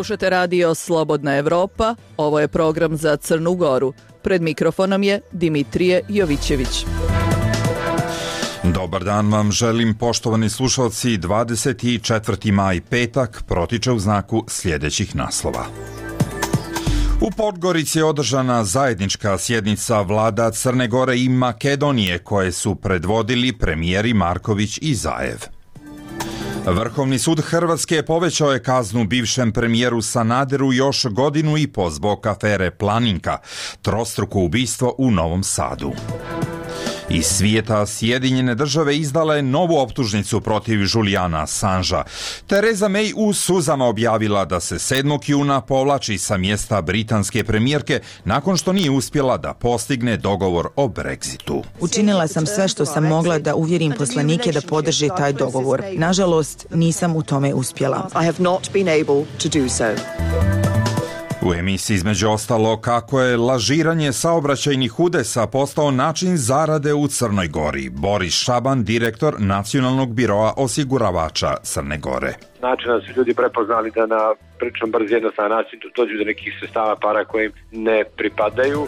Slušate radio Slobodna Evropa, ovo je program za Crnu Goru. Pred mikrofonom je Dimitrije Jovićević. Dobar dan vam želim, poštovani slušalci. 24. maj, petak, protiče u znaku sljedećih naslova. U Podgorici je održana zajednička sjednica vlada Crne Gore i Makedonije koje su predvodili premijeri Marković i Zaev. Vrhovni sud Hrvatske povećao je kaznu bivšem premijeru Sanaderu još 1,5 godinu zbog afere Planinka, trostruko ubistvo u Novom Sadu. Iz svijeta, Sjedinjene države izdale novu optužnicu protiv Juliana Assangea. Theresa May u suzama objavila da se 7. juna povlači sa mjesta britanske premijerke nakon što nije uspjela da postigne dogovor o Brexitu. Učinila sam sve što sam mogla da uvjerim poslanike da podrže taj dogovor. Nažalost, nisam u tome uspjela. U emisiji između ostalo kako je lažiranje saobraćajnih udesa postao način zarade u Crnoj Gori. Boris Šaban, direktor Nacionalnog biroa osiguravača Crne Gore. Način da su ljudi prepoznali da na prilično brz jednostavan način dođu do nekih sredstava para koje im ne pripadaju.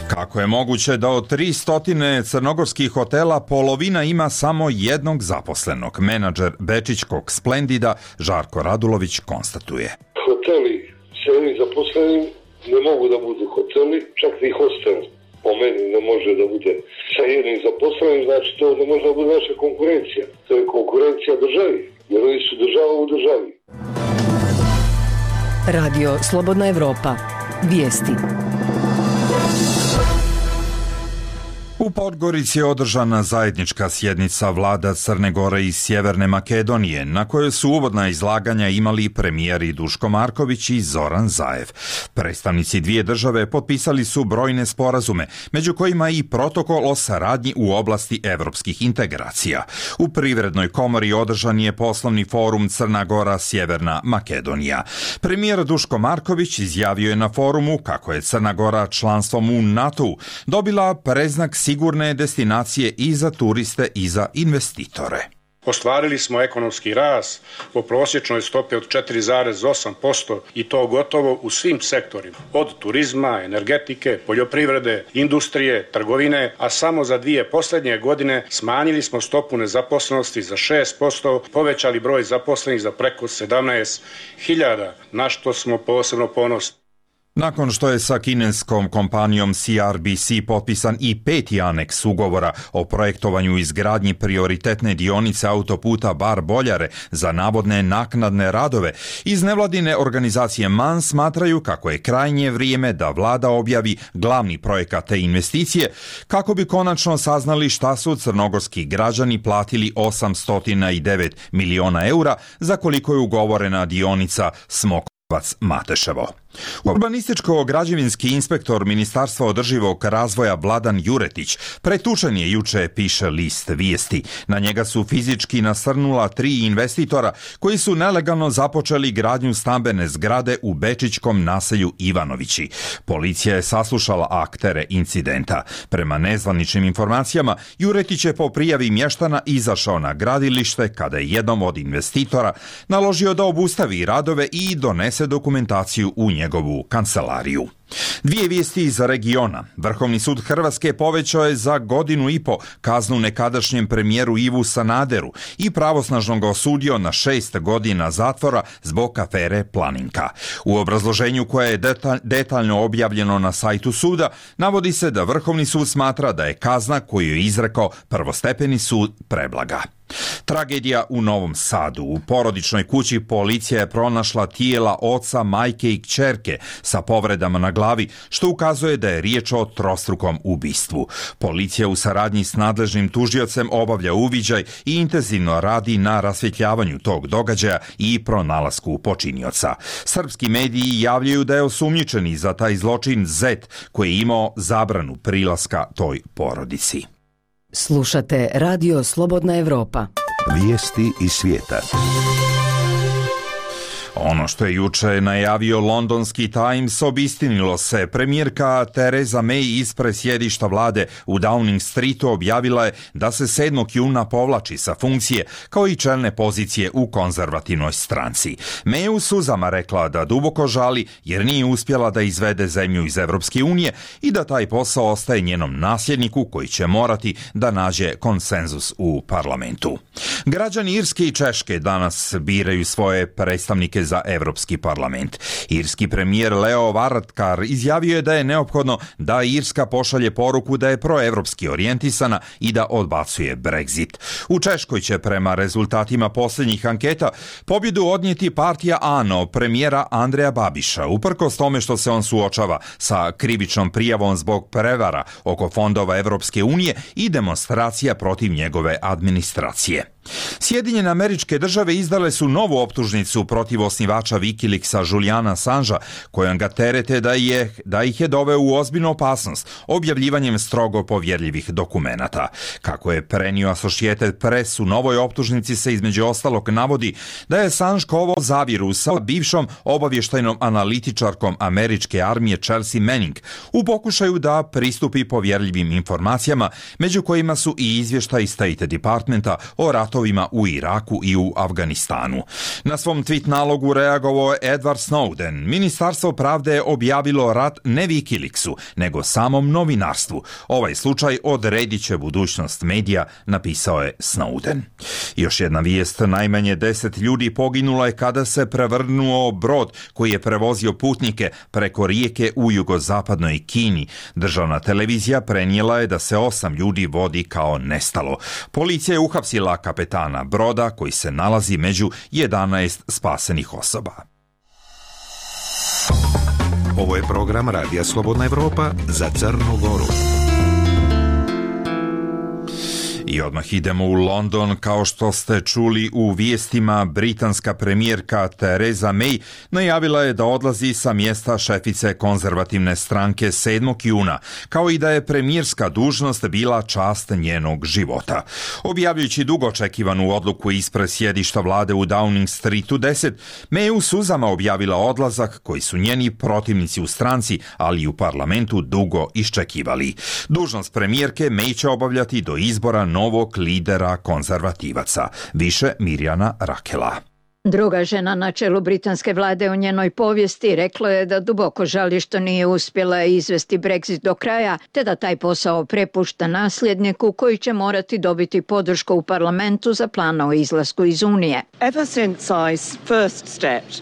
Kako je moguće da od 300 crnogorskih hotela polovina ima samo jednog zaposlenog? Menadžer Bečićkog Splendida Žarko Radulović konstatuje. Hoteli s jednim zaposlenim ne mogu da budu hoteli, čak i hostel po meni ne može da bude sa jednim zaposlenim, znači to ne može da bude naša konkurencija. To je konkurencija državi, jer oni su država u državi. Radio Slobodna Evropa. Vijesti. U Podgorici je održana zajednička sjednica vlada Crne Gore i Sjeverne Makedonije, na kojoj su uvodna izlaganja imali premijeri Duško Marković i Zoran Zaev. Predstavnici dvije države potpisali su brojne sporazume, među kojima i protokol o saradnji u oblasti evropskih integracija. U Privrednoj komori održan je poslovni forum Crna Gora Sjeverna Makedonija. Premijer Duško Marković izjavio je na forumu kako je Crna Gora članstvom u NATO-u dobila preznak sigurne destinacije i za turiste i za investitore. Ostvarili smo ekonomski rast po prosječnoj stopi od 4,8% i to gotovo u svim sektorima, od turizma, energetike, poljoprivrede, industrije, trgovine, a samo za 2 posljednje godine smanjili smo stopu nezaposlenosti za 6%, povećali broj zaposlenih za preko 17.000, na što smo posebno ponosni. Nakon što je sa kineskom kompanijom CRBC potpisan i 5. aneks ugovora o projektovanju i izgradnji prioritetne dionice autoputa Bar-Boljare za navodne naknadne radove, iz nevladine organizacije MAN smatraju kako je krajnje vrijeme da vlada objavi glavni projekat te investicije, kako bi konačno saznali šta su crnogorski građani platili 809 miliona eura za koliko je ugovorena dionica Smokovac-Mateševo. Urbanističko-građevinski inspektor Ministarstva održivog razvoja Vladan Juretić pretučen je juče, piše list Vijesti. Na njega su fizički nasrnula 3 investitora koji su nelegalno započeli gradnju stambene zgrade u bečićkom naselju Ivanovići. Policija je saslušala aktere incidenta. Prema nezvaničnim informacijama, Juretić je po prijavi mještana izašao na gradilište kada je jednom od investitora naložio da obustavi radove i donese dokumentaciju u njegovu kancelariju. 2 vijesti iz regiona. Vrhovni sud Hrvatske povećao je za 1,5 godinu kaznu nekadašnjem premijeru Ivu Sanaderu i pravosnažno ga osudio na 6 godina zatvora zbog afere Planinka. U obrazloženju koje je detaljno objavljeno na sajtu suda, navodi se da Vrhovni sud smatra da je kazna koju je izrekao prvostepeni sud preblaga. Tragedija u Novom Sadu. U porodičnoj kući policija je pronašla tijela oca, majke i kćerke sa povredama na glavi, što ukazuje da je riječ o trostrukom ubistvu. Policija u saradnji s nadležnim tužiocem obavlja uviđaj i intenzivno radi na rasvjetljavanju tog događaja i pronalasku počinioca. Srpski mediji javljaju da je osumnjičeni za taj zločin Zet, koji je imao zabranu prilaska toj porodici. Slušate Radio Slobodna Evropa. Vijesti iz svijeta. Ono što je juče najavio londonski Times obistinilo se. Premijerka Theresa May ispred sjedišta vlade u Downing Streetu objavila je da se 7. juna povlači sa funkcije kao i čelne pozicije u konzervativnoj stranci. May u suzama rekla da duboko žali jer nije uspjela da izvede zemlju iz Europske unije i da taj posao ostaje njenom nasljedniku koji će morati da nađe konsenzus u parlamentu. Građani Irske i Češke danas biraju svoje predstavnike za Europski parlament. Irski premijer Leo Varadkar izjavio je da je neophodno da Irska pošalje poruku da je proevropski orijentisana i da odbacuje Brexit. U Češkoj će prema rezultatima posljednjih anketa pobjedu odnijeti partija ANO premijera Andreja Babiša, uprkos tome što se on suočava sa krivičnom prijavom zbog prevara oko fondova Europske unije i demonstracija protiv njegove administracije. Sjedinjene Američke Države izdale su novu optužnicu protiv osnivača Wikileaksa Juliana Assangea, kojom ga terete da ih je doveo u ozbiljnu opasnost objavljivanjem strogo povjerljivih dokumenata. Kako je prenio Associated Press, u novoj optužnici se između ostalog navodi da je Assange kovao zavjeru sa bivšom obavještajnom analitičarkom američke armije Chelsea Manning u pokušaju da pristupi povjerljivim informacijama, među kojima su i izvještaji State Departmenta o ratovima u Iraku i u Afganistanu. Na svom tweet nalogu reagovao je Edward Snowden. Ministarstvo pravde je objavilo rat ne Wikileaksu, nego samom novinarstvu. Ovaj slučaj odredit će budućnost medija, napisao je Snowden. Još jedna vijest, najmanje 10 ljudi poginulo je kada se prevrnuo brod koji je prevozio putnike preko rijeke u jugozapadnoj Kini. Državna televizija prenijela je da se 8 ljudi vodi kao nestalo. Policija je uhapsila kapetana broda koji se nalazi među 11 spasenih osoba. Ovo je program Radija Slobodna Evropa za Crnu Goru. I odmah idemo u London. Kao što ste čuli u vijestima, britanska premijerka Theresa May najavila je da odlazi sa mjesta šefice konzervativne stranke 7. juna, kao i da je premijerska dužnost bila čast njenog života. Objavljujući dugo očekivanu odluku ispred sjedišta vlade u Downing Streetu 10, May u suzama objavila odlazak koji su njeni protivnici u stranci, ali i u parlamentu dugo iščekivali. Dužnost premijerke May će obavljati do izbora novog lidera konzervativaca. Više Mirjana Rakela. Druga žena na čelu britanske vlade u njenoj povijesti rekla je da duboko žali što nije uspjela izvesti Brexit do kraja, te da taj posao prepušta nasljedniku koji će morati dobiti podršku u parlamentu za plan o izlasku iz Unije.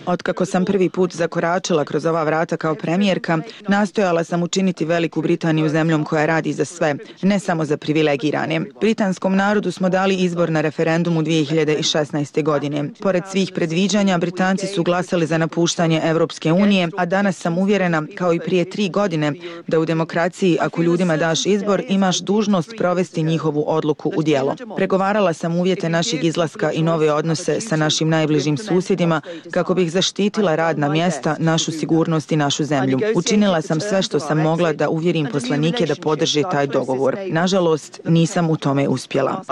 Otkako sam prvi put zakoračila kroz ova vrata kao premijerka, nastojala sam učiniti Veliku Britaniju zemljom koja radi za sve, ne samo za privilegirane. Britanskom narodu smo dali izbor na referendumu 2016. godine. Pored svih predviđanja, Britanci su glasali za napuštanje Europske unije, a danas sam uvjerena, kao i prije 3 godine, da u demokraciji, ako ljudima daš izbor, imaš dužnost provesti njihovu odluku u djelo. Pregovarala sam uvjete našeg izlaska i nove odnose sa našim najbližim susjedima kako bih zaštitila radna mjesta, našu sigurnost i našu zemlju. Učinila sam sve što sam mogla da uvjerim poslanike da podrže taj dogovor. Nažalost, nisam u tome uspjela.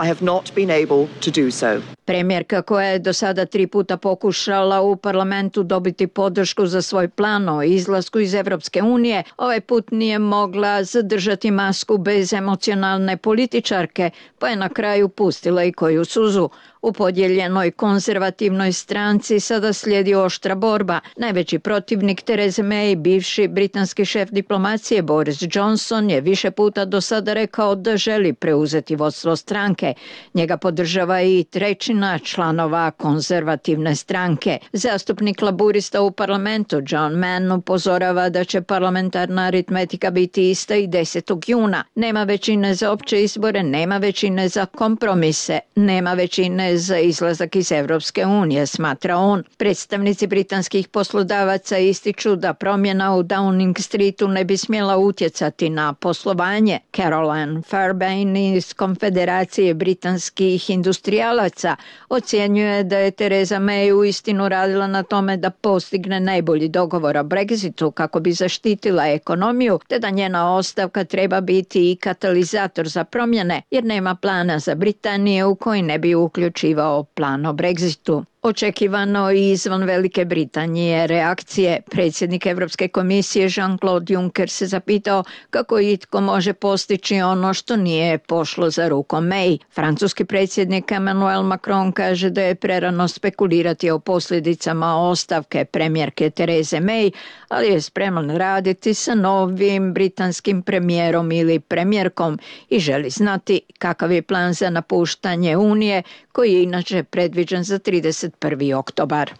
Premijerka koja je do sada 3 puta pokušala u parlamentu dobiti podršku za svoj plan o izlasku iz Europske unije, ovaj put nije mogla zadržati masku bez emocionalne političarke, pa je na kraju pustila i koju suzu. U podijeljenoj konzervativnoj stranci sada slijedi oštra borba. Najveći protivnik Therese May, bivši britanski šef diplomacije Boris Johnson, je više puta do sada rekao da želi preuzeti vodstvo stranke. Njega podržava i 1/3 članova konzervativne stranke. Zastupnik laburista u parlamentu John Mann upozorava da će parlamentarna aritmetika biti ista i 10. juna. Nema većine za opće izbore, nema većine za kompromise, nema većine za izlazak iz Europske unije, smatra on. Predstavnici britanskih poslodavaca ističu da promjena u Downing Streetu ne bi smjela utjecati na poslovanje. Caroline Fairbairn iz Konfederacije britanskih industrijalaca ocjenjuje da je Theresa May uistinu radila na tome da postigne najbolji dogovor o Brexitu kako bi zaštitila ekonomiju, te da njena ostavka treba biti i katalizator za promjene, jer nema plana za Britaniju u koji ne bi uključivao plan o Brexitu. Očekivano i izvan Velike Britanije reakcije predsjednik Evropske komisije Jean-Claude Juncker se zapitao kako itko može postići ono što nije pošlo za rukom May. Francuski predsjednik Emmanuel Macron kaže da je prerano spekulirati o posljedicama ostavke premijerke Therese May, ali je spreman raditi sa novim britanskim premijerom ili premijerkom i želi znati kakav je plan za napuštanje Unije, koji je inače predviđen za 31. oktobar.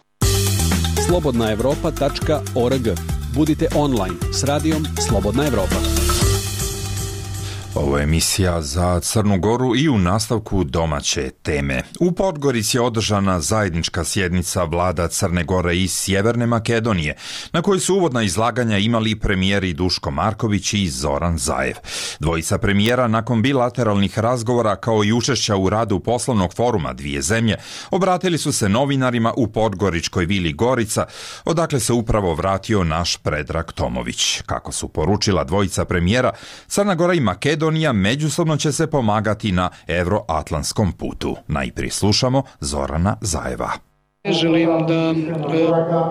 Slobodnaevropa.org. Budite online s radijom Slobodna Evropa. Ovo je emisija za Crnu Goru i u nastavku domaće teme. U Podgorici je održana zajednička sjednica vlada Crne Gore i Sjeverne Makedonije, na kojoj su uvodna izlaganja imali premijeri Duško Marković i Zoran Zaev. Dvojica premijera nakon bilateralnih razgovora kao i učešća u radu poslovnog foruma dvije zemlje obratili su se novinarima u podgoričkoj vili Gorica, odakle se upravo vratio naš Predrag Tomović. Kako su poručila dvojica premijera, Crna Gora i Makedonija međusobno će se pomagati na evroatlantskom putu. Najprije slušamo Zorana Zaeva. Želim da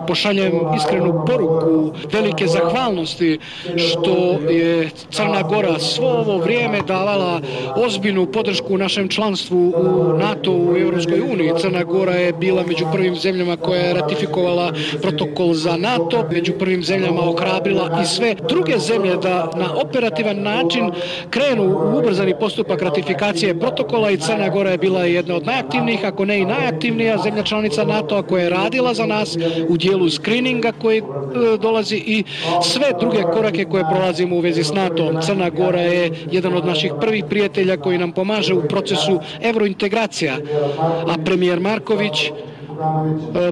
pošaljem iskrenu poruku velike zahvalnosti što je Crna Gora svo ovo vrijeme davala ozbiljnu podršku našem članstvu u NATO u Europskoj uniji. Crna Gora je bila među prvim zemljama koja je ratifikovala protokol za NATO, među prvim zemljama ohrabrila i sve druge zemlje da na operativan način krenu u ubrzani postupak ratifikacije protokola i Crna Gora je bila jedna od najaktivnijih, ako ne i najaktivnija zemlja članica NATO koja je radila za nas u dijelu screeninga koji dolazi i sve druge korake koje prolazimo u vezi s NATO. Crna Gora je jedan od naših prvih prijatelja koji nam pomaže u procesu evrointegracija, a premijer Marković,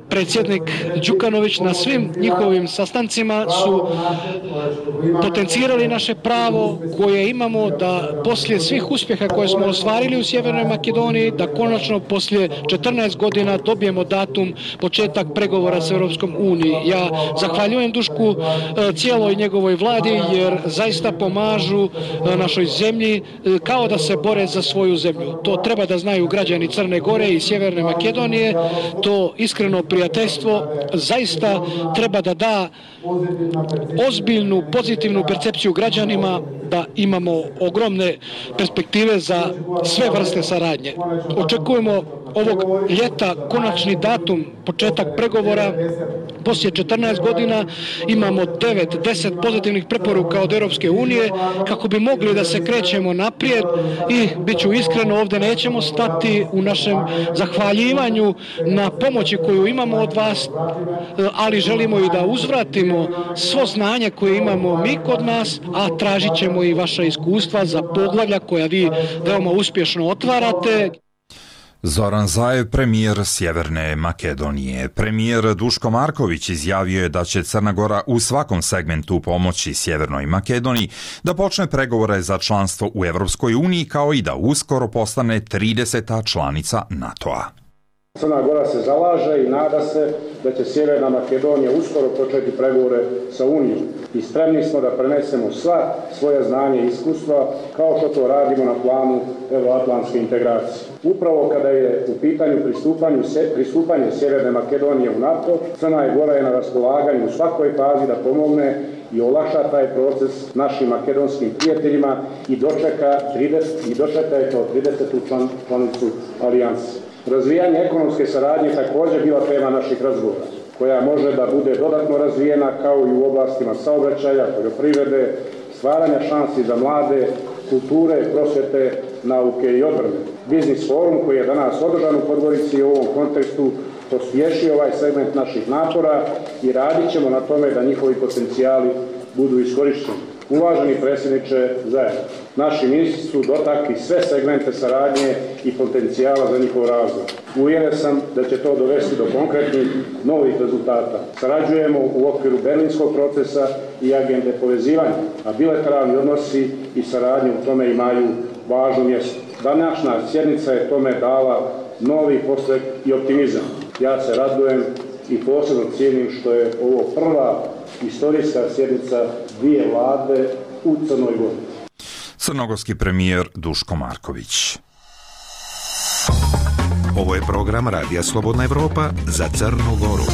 predsjednik Đukanović na svim njihovim sastancima su potencirali naše pravo koje imamo da poslije svih uspjeha koje smo ostvarili u Sjevernoj Makedoniji, da konačno poslije 14 godina dobijemo datum početak pregovora s Europskom unijom. Ja zahvaljujem Dušku cijeloj njegovoj vladi jer zaista pomažu našoj zemlji kao da se bore za svoju zemlju. To treba da znaju građani Crne Gore i Sjeverne Makedonije. To iskreno prijateljstvo zaista treba da da ozbiljnu, pozitivnu percepciju građanima da imamo ogromne perspektive za sve vrste saradnje. Očekujemo ovog ljeta konačni datum, početak pregovora. Poslije 14 godina imamo 9-10 pozitivnih preporuka od Europske unije kako bi mogli da se krećemo naprijed i bit ću iskreno, ovdje nećemo stati u našem zahvaljivanju na pomoći koju imamo od vas, ali želimo i da uzvratimo svo znanje koje imamo mi kod nas, a tražit ćemo i vaša iskustva za poglavlja koja vi veoma uspješno otvarate. Zoran Zaev, premijer Sjeverne Makedonije. Premijer Duško Marković izjavio je da će Crna Gora u svakom segmentu pomoći Sjevernoj Makedoniji da počne pregovore za članstvo u Europskoj uniji kao i da uskoro postane 30. članica NATO-a. Crna Gora se zalaže i nada se da će Sjeverna Makedonija uskoro početi pregovore sa Unijom i spremni smo da prenesemo sva svoja znanja i iskustva kao što to radimo na planu evroatlantske integracije. Upravo kada je u pitanju pristupanje Sjeverne Makedonije u NATO, Crna Gora je na raspolaganju u svakoj fazi da pomogne i olakša taj proces našim makedonskim prijateljima i dočeka je to 30. članicu alijanse. Razvijanje ekonomske saradnje također bila tema naših razgovora, koja može da bude dodatno razvijena kao i u oblastima saobraćaja, poljoprivrede, stvaranja šansi za mlade, kulture, prosvjete, nauke i odbrane. Biznis forum koji je danas održan u Podgorici u ovom kontekstu pospješio ovaj segment naših napora i radit ćemo na tome da njihovi potencijali budu iskorišteni. Uvaženi predsjedniče Zaev, naši ministri su dotakli sve segmente saradnje i potencijala za njihov razvoj. Uvjeren sam da će to dovesti do konkretnih novih rezultata. Sarađujemo u okviru berlinskog procesa i agende povezivanja, a bilateralni odnosi i saradnje u tome imaju važno mjesto. Današnja sjednica je tome dala novi postrek i optimizam. Ja se radujem i posebno cijenim što je ovo prva istorijska sjednica dvije vlade u Crnoj Gori. Crnogorski premijer Duško Marković. Ovo je program Radija Slobodna Evropa za Crnu Goru.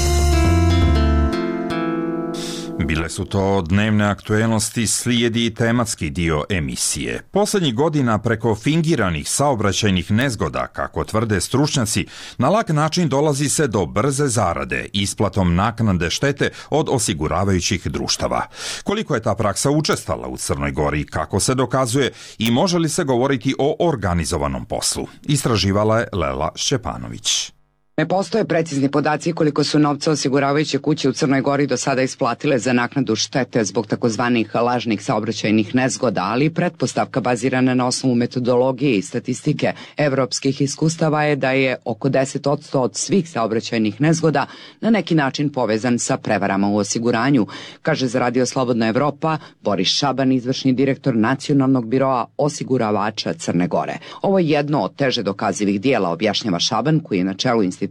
Bile su to dnevne aktuelnosti, slijedi i tematski dio emisije. Posljednjih godina preko fingiranih saobraćajnih nezgoda, kako tvrde stručnjaci, na lak način dolazi se do brze zarade isplatom naknade štete od osiguravajućih društava. Koliko je ta praksa učestala u Crnoj Gori, kako se dokazuje i može li se govoriti o organizovanom poslu? Istraživala je Lela Šćepanović. Ne postoje precizni podaci koliko su novca osiguravajuće kuće u Crnoj Gori do sada isplatile za naknadu štete zbog takozvanih lažnih saobraćajnih nezgoda, ali pretpostavka bazirana na osnovu metodologije i statistike evropskih iskustava je da je oko 10% od svih saobraćajnih nezgoda na neki način povezan sa prevarama u osiguranju, kaže za Radio Slobodna Evropa Boris Šaban, izvršni direktor Nacionalnog biroa osiguravača Crne Gore. Ovo je jedno od teže dokazivih dijela, objašnjava Šaban, koji je na čelu institucije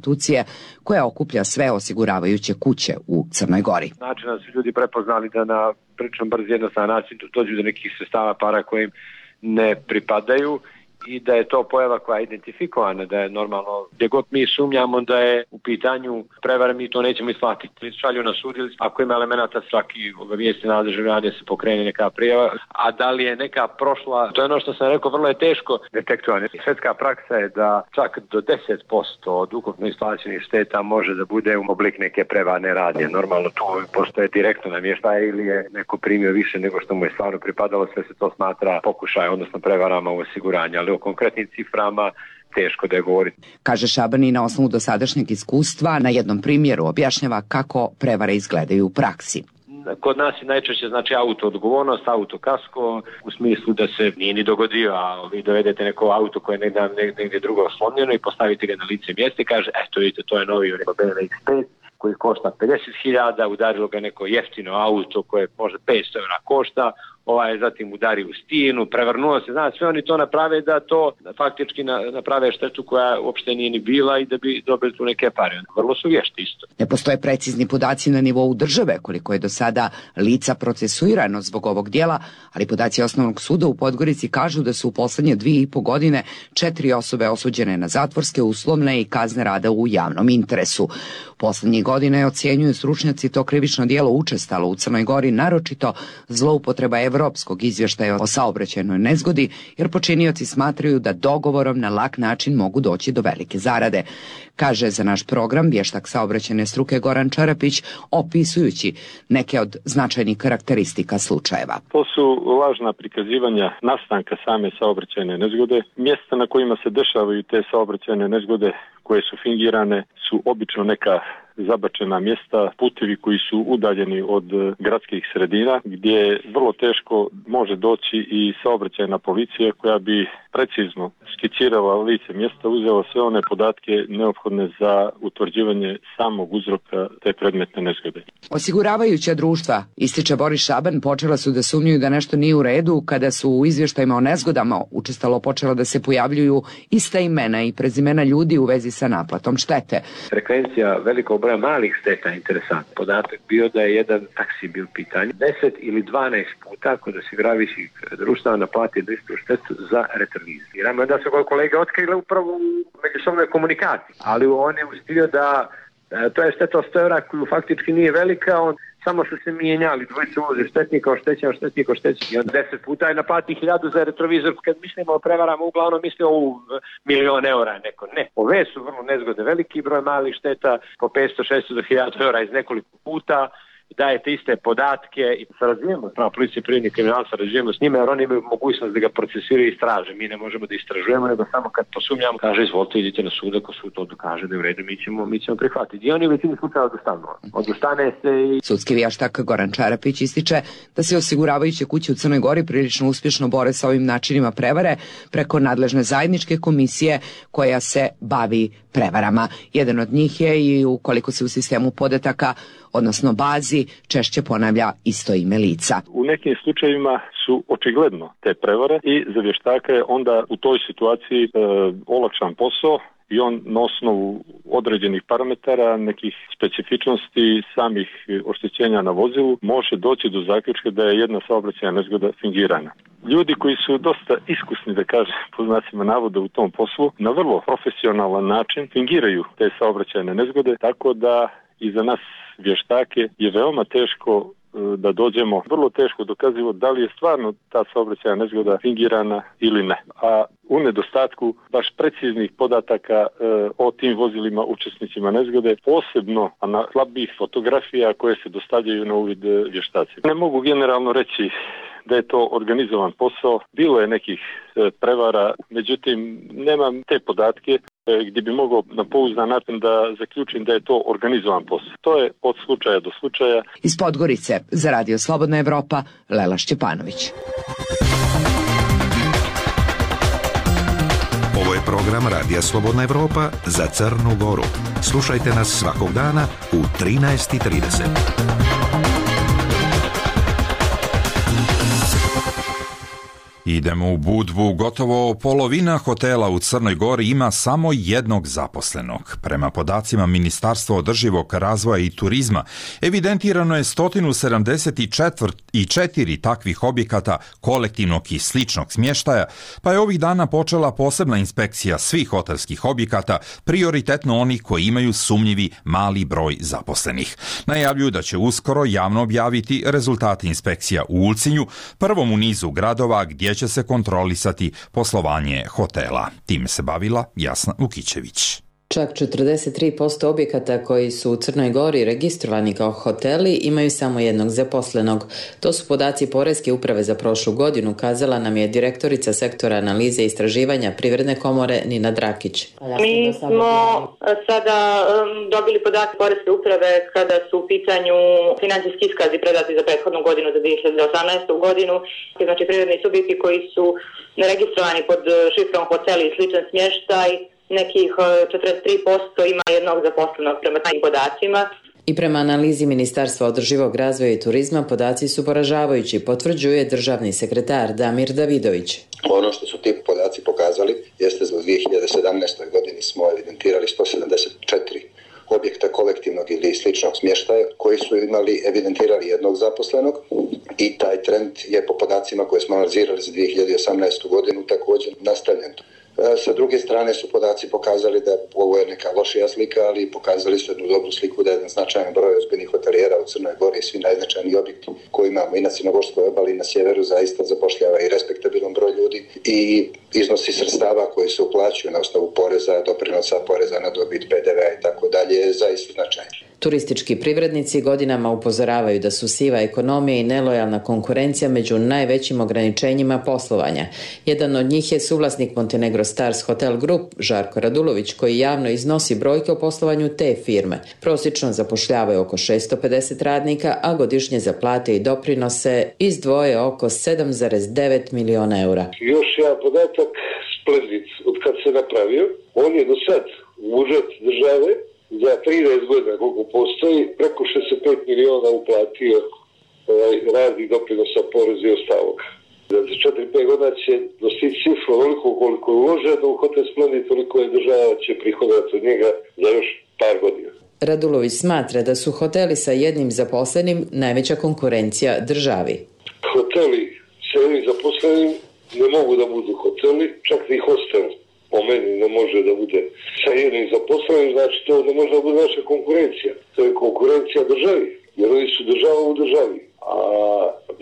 koja okuplja sve osiguravajuće kuće u Crnoj Gori. Znači da su ljudi prepoznali da na prilično brz jednostavan način dođu do nekih sredstava para koje im ne pripadaju i da je to pojava koja je identifikovana, da je normalno, gdje god mi sumnjamo da je u pitanju prevare, mi to nećemo isplatiti. Šalju na sud ili ako ima elemenata svaki obavijesti nadležne organe se pokrene neka prijava, a da li je neka prošla, to je ono što sam rekao, vrlo je teško detektovati. Svjetska praksa je da čak do 10% od ukupno isplaćenih šteta može da bude u oblik neke prevarne radnje. Normalno tu postoje direktno namještaje ili je neko primio više nego što mu je stvarno pripadalo, sve se to smatra pokušaj, odnosno prevarama u osiguranju. O konkretnim ciframa teško da je govoriti. Kaže Šaban i na osnovu dosadašnjeg iskustva na jednom primjeru objašnjava kako prevare izgledaju u praksi. Kod nas je najčešće znači auto odgovornost, auto kasko, u smislu da se nije ni dogodio, a vi dovedete neko auto koje je negdje drugo oslonjeno i postavite ga na lice mjesta i kaže, eto vidite, to je novi BMW X5 koji košta 50.000, udarilo ga neko jeftino auto koje možda 500 € košta, zatim udari u stinu, prevrnuo se, znači sve oni to naprave da to faktički naprave štetu koja uopšte nije ni bila i da bi dobili tu neke pare. Vrlo su vješti isto. Ne postoje precizni podaci na nivou države koliko je do sada lica procesuirano zbog ovog dijela, ali podaci Osnovnog suda u Podgorici kažu da su u poslednje 2,5 godine 4 osobe osuđene na zatvorske, uslovne i kazne rada u javnom interesu. Poslednjih godine ocjenjuju stručnjaci to krivično djelo učestalo u Crnoj Gori, naročito zloupotreba evropskog izvještaja o saobraćajnoj nezgodi, jer počinioci smatraju da dogovorom na lak način mogu doći do velike zarade. Kaže za naš program vještak saobraćajne struke Goran Čarapić, opisujući neke od značajnih karakteristika slučajeva. To su lažna prikazivanja nastanka same saobraćajne nezgode, mjesta na kojima se dešavaju te saobraćajne nezgode koje su fingirane su obično neka zabačena mjesta, putevi koji su udaljeni od gradskih sredina, gdje vrlo teško može doći i saobraćajna policija koja bi precizno skicirala lice mjesta, uzela sve one podatke neophodne za utvrđivanje samog uzroka te predmetne nezgode. Osiguravajuća društva, ističe Boris Šaban, počela su da sumnjuju da nešto nije u redu kada su u izvještajima o nezgodama učestalo počela da se pojavljuju ista imena i prezimena ljudi u vezi sa naplatom štete. Frekvencija velikog broja malih šteta je interesantna. Podatak bio da je jedan taksi bio pitanje. 10 ili 12 puta kod osiguravajućih društava naplati istu štetu za retroviziramo. Onda su kolege otkrile upravo u međusobnoj komunikaciji. Ali on je uspio da to je šteta od 100 € koju faktički nije velika, on samo su se mijenjali, dvojice ulože štetnika, oštećen. I on 10 puta je naplati 1.000 za retrovizor. Kad mislimo o prevarama, uglavnom mislimo o 1.000.000 € neko. Ne, ove su vrlo nezgode, veliki broj malih šteta, po 500-600 do 1.000 € iz nekoliko puta. Dajete iste podatke i sarađujemo prema policiji privrednih kriminalaca, sarađujemo s njima jer oni imaju mogućnost da ga procesiraju i istraže. Mi ne možemo da istražujemo, nego samo kad posumnjamo, kaže izvolite, idite na sud, ako sud to dokaže da je u redu, mi ćemo prihvatiti. I oni u većini slučaja odustane se i... Sudski vještak Goran Čarapić ističe da se osiguravajuće kuće u Crnoj Gori prilično uspješno bore sa ovim načinima prevare preko nadležne zajedničke komisije koja se bavi prevarama. Jedan od njih je i ukoliko se u sistemu podataka, odnosno bazi, češće ponavlja isto ime lica. U nekim slučajevima su očigledno te prevare i za vještaka je onda u toj situaciji olakšan posao i on na osnovu određenih parametara, nekih specifičnosti samih oštećenja na vozilu može doći do zaključka da je jedna saobraćajna nezgoda fingirana. Ljudi koji su dosta iskusni, da kažem, po znacima navoda u tom poslu, na vrlo profesionalan način fingiraju te saobraćajne nezgode, tako da i za nas vještake je veoma teško da dođemo, vrlo teško dokazivo da li je stvarno ta saobraćajna nezgoda fingirana ili ne. A u nedostatku baš preciznih podataka o tim vozilima učesnicima nezgode, posebno na slabih fotografija koje se dostavljaju na uvid vještacima. Ne mogu generalno reći da je to organizovan posao, bilo je nekih prevara, međutim nemam te podatke gdje bi mogao na pouzdan način da zaključim da je to organizovan posao. To je od slučaja do slučaja. Iz Podgorice za Radio Slobodna Evropa, Lela Šćepanović. Ovo je program Radija Slobodna Evropa za Crnu Goru. Slušajte nas svakog dana u 13:30. Idemo u Budvu. Gotovo polovina hotela u Crnoj Gori ima samo jednog zaposlenog. Prema podacima Ministarstva održivog razvoja i turizma, evidentirano je 174 takvih objekata kolektivnog i sličnog smještaja, pa je ovih dana počela posebna inspekcija svih hotelskih objekata, prioritetno onih koji imaju sumnjivi mali broj zaposlenih. Najavljuju da će uskoro javno objaviti rezultate inspekcija u Ulcinju, prvom u nizu gradova gdje će se kontrolisati poslovanje hotela. Time se bavila Jasna Vukićević. Čak 43% objekata koji su u Crnoj Gori registrovani kao hoteli imaju samo jednog zaposlenog. To su podaci Poreske uprave za prošlu godinu, kazala nam je direktorica sektora analize i istraživanja Privredne komore Nina Drakić. Mi smo sada dobili podatke Poreske uprave kada su u pitanju financijski iskazi predati za prethodnu godinu, za 2018. godinu. Znači privredni subjekti koji su registrovani pod šifrom hoteli i sličan smještaj, nekih 43% ima jednog zaposlenog prema tim podacima. I prema analizi Ministarstva održivog razvoja i turizma podaci su poražavajući, potvrđuje državni sekretar Damir Davidović. Ono što su ti podaci pokazali jeste da u 2017. godini smo evidentirali 174 objekta kolektivnog ili sličnog smještaja koji su evidentirali jednog zaposlenog i taj trend je po podacima koje smo analizirali za 2018. godinu također nastavljen. Sa druge strane su podaci pokazali da ovo je neka lošija slika, ali pokazali su jednu dobru sliku da je jedan značajan broj ozbiljnih hotelijera u Crnoj Gori i svi najznačajniji objekti koji imamo i na Crnogorskoj obali i na sjeveru zaista zapošljava i respektabilan broj ljudi i iznosi sredstava koji se uplaćuju na osnovu poreza, doprinosa, poreza na dobit, PDV i tako dalje je zaista značajan. Turistički privrednici godinama upozoravaju da su siva ekonomija i nelojalna konkurencija među najvećim ograničenjima poslovanja. Jedan od njih je suvlasnik Montenegro Stars Hotel Group, Žarko Radulović, koji javno iznosi brojke o poslovanju te firme. Prosječno zapošljavaju oko 650 radnika, a godišnje za plate i doprinose izdvoje oko 7,9 miliona eura. Još jedan podatak, Splendid, od kad se napravio, on je do sad u budžet države za 13 godina koliko postoji, preko 65 miliona uplatio radi doprinosa, poreza i ostalog. Za 4-5 godina će dostići cifru onoliko koliko je uloženo u Hotel Splendid, toliko je država će prihodati od njega za još par godina. Radulović smatra da su hoteli sa jednim zaposlenim najveća konkurencija državi. Hoteli sa jednim zaposlenim ne mogu da budu hoteli, čak i hostel po meni ne može da bude sa jednim zaposlenim, znači to ne može da bude naša konkurencija. To je konkurencija državi, jer oni su država u državi. A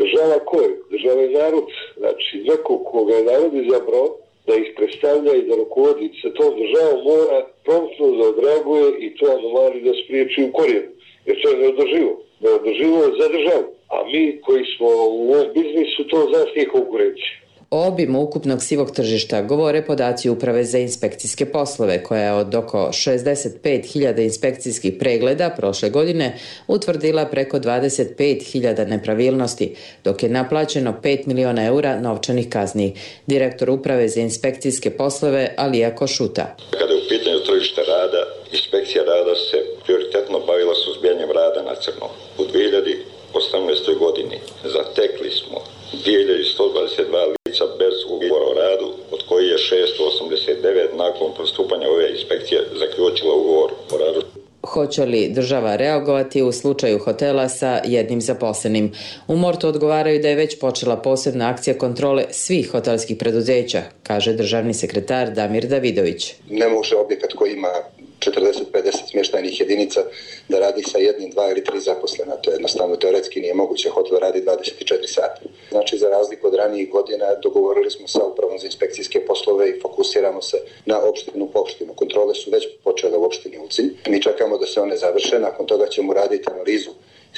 država ko je? Država je narod. Znači neko koga je narod izabrao da ih predstavlja i da rukovodi sa tom državom mora promptno da odreaguje i to anomaliju da spriječi u korijenu. Jer to je neodrživo. Neodrživo je za državu. A mi koji smo u ovom biznisu, to za nas nije konkurencija. O obimu ukupnog sivog tržišta govore podaci Uprave za inspekcijske poslove, koja je od oko 65.000 inspekcijskih pregleda prošle godine utvrdila preko 25.000 nepravilnosti, dok je naplaćeno 5 miliona eura novčanih kazni. Direktor Uprave za inspekcijske poslove Alija Košuta. Kada je u pitanju tržište rada, inspekcija rada se prioritetno bavila suzbijanjem rada na crno. U 2018. godini zatekli smo 2122 lica bez ugovora o radu, od koji je 689 nakon postupanja ove inspekcije hoće li država reagovati u slučaju hotela sa jednim zaposlenim. U MORT-u odgovaraju da je već počela posebna akcija kontrole svih hotelskih preduzeća, kaže državni sekretar Damir Davidović. Ne može objekat koji ima 40-50 smještajnih jedinica da radi sa jednim, 2 ili 3 zaposlena. To jednostavno teoretski nije moguće. Hotel radi 24 sata. Znači, za razliku od ranijih godina dogovorili smo sa upravom za inspekcijske poslove i fokusiramo se na opštinu po opštinu. Kontrole su već počele u opštini Ulcinj. Mi čekamo da se one završe. Nakon toga ćemo raditi analizu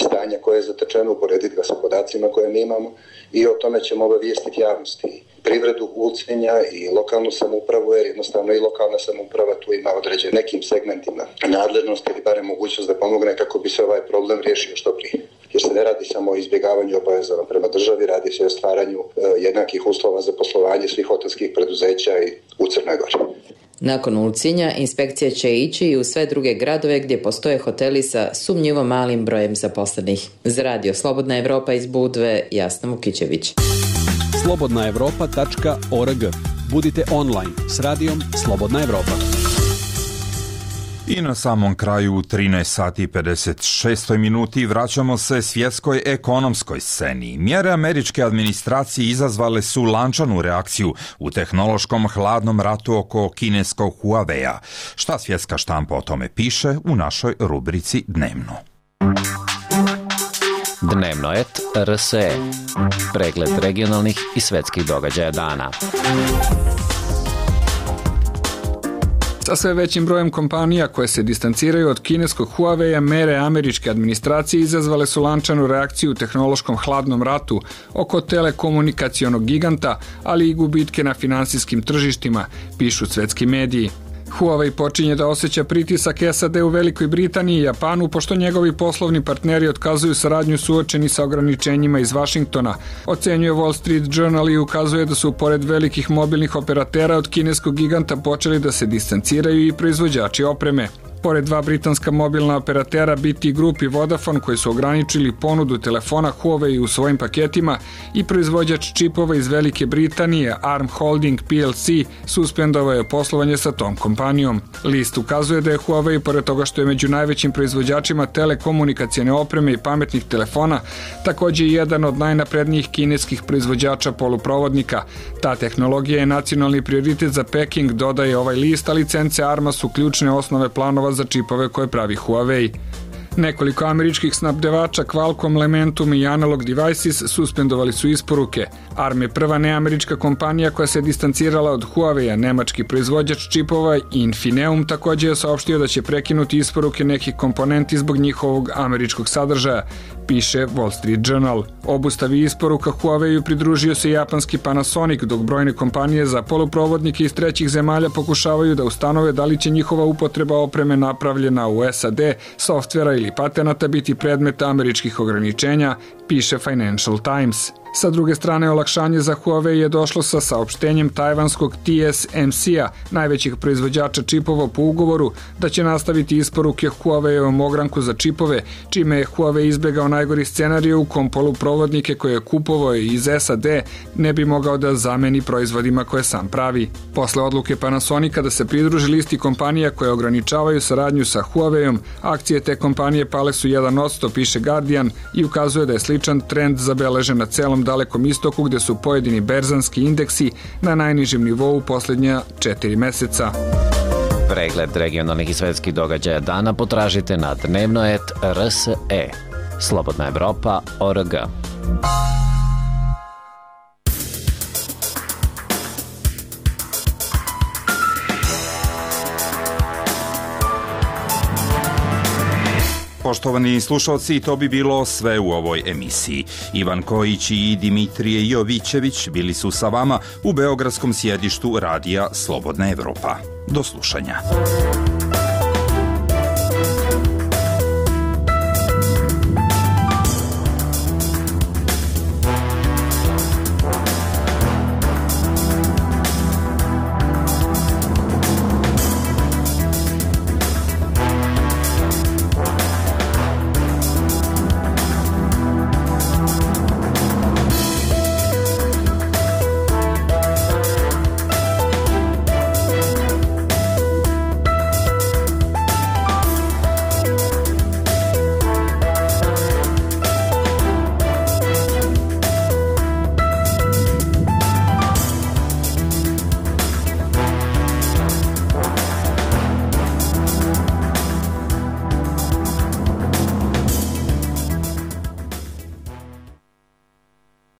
stanja koje je zatečeno, uporediti ga sa podacima koje mi imamo i o tome ćemo obavijestiti javnosti, privredu Ulcinja i lokalnu samoupravu, jer jednostavno i lokalna samouprava tu ima određen nekim segmentima nadležnosti ili barem mogućnost da pomogne kako bi se ovaj problem riješio što prije. Jer se ne radi samo o izbjegavanju obaveza prema državi, radi se o stvaranju jednakih uslova za poslovanje svih hotelskih preduzeća i u Crnoj Gori. Nakon Ulcinja, inspekcija će ići i u sve druge gradove gdje postoje hoteli sa sumnjivo malim brojem zaposlenih. Za Radio Slobodna Evropa iz Budve, Jasna Vukićević. slobodnaevropa.org. Budite online s radijom Slobodna Evropa. I na samom kraju u 13 sati 56 minuti vraćamo se svjetskoj ekonomskoj sceni. Mjere američke administracije izazvale su lančanu reakciju u tehnološkom hladnom ratu oko kineskog Huawei-a. Šta svjetska štampa o tome piše u našoj rubrici Dnevno. Dnevnoet RSE. Pregled regionalnih i svetskih događaja dana. Sa sve većim brojem kompanija koje se distanciraju od kineskog Huawei-a, mere američke administracije izazvale su lančanu reakciju u tehnološkom hladnom ratu oko telekomunikacionog giganta, ali i gubitke na finansijskim tržištima, pišu svetski mediji. Huawei počinje da osjeća pritisak SAD u Velikoj Britaniji i Japanu, pošto njegovi poslovni partneri otkazuju saradnju suočeni sa ograničenjima iz Vašingtona. Ocenjuje Wall Street Journal i ukazuje da su pored velikih mobilnih operatera od kineskog giganta počeli da se distanciraju i proizvođači opreme. Pored dva britanska mobilna operatera BT Group i Vodafone koji su ograničili ponudu telefona Huawei u svojim paketima i proizvođač čipova iz Velike Britanije Arm Holding PLC suspendovao je poslovanje sa tom kompanijom. List ukazuje da je Huawei, pored toga što je među najvećim proizvođačima telekomunikacijne opreme i pametnih telefona, također i jedan od najnaprednijih kineskih proizvođača poluprovodnika. Ta tehnologija je nacionalni prioritet za Peking, dodaje ovaj list, a licence Arma su ključne osnove planova za čipove koje pravi Huawei. Nekoliko američkih snabdevača Qualcomm, Lementum i Analog Devices suspendovali su isporuke. Arm je prva neamerička kompanija koja se distancirala od Huawei-a. Nemački proizvođač čipova Infineum također je saopštio da će prekinuti isporuke nekih komponenti zbog njihovog američkog sadržaja, piše Wall Street Journal. Obustavi isporuka Huawei-u pridružio se japanski Panasonic, dok brojne kompanije za poluprovodnike iz trećih zemalja pokušavaju da ustanove da li će njihova upotreba opreme napravljena u SAD, softvera ili patenata biti predmet američkih ograničenja, piše Financial Times. Sa druge strane, olakšanje za Huawei je došlo sa saopštenjem tajvanskog TSMC-a, najvećih proizvođača čipova po ugovoru, da će nastaviti isporuke Huawei-ovom ogranku za čipove, čime je Huawei izbjegao najgori scenariju u kom poluprovodnike koje je kupovao iz SAD ne bi mogao da zameni proizvodima koje sam pravi. Posle odluke Panasonica da se pridruži listi kompanija koje ograničavaju saradnju sa Huawei-om, akcije te kompanije pale su 1%, piše Guardian, i ukazuje da je sličan trend zabeležen na celom Dalekom istoku, gdje su pojedini berzanski indeksi na najnižem nivou posljednja 4 meseca. Pregled regionalnih i svetskih događaja dana potražite na Dnevnoet RSE. Slobodna Evropa.org. Poštovani slušalci, to bi bilo sve u ovoj emisiji. Ivan Kojić i Dimitrije Jovićević bili su sa vama u beogradskom sjedištu radija Slobodna Evropa. Do slušanja.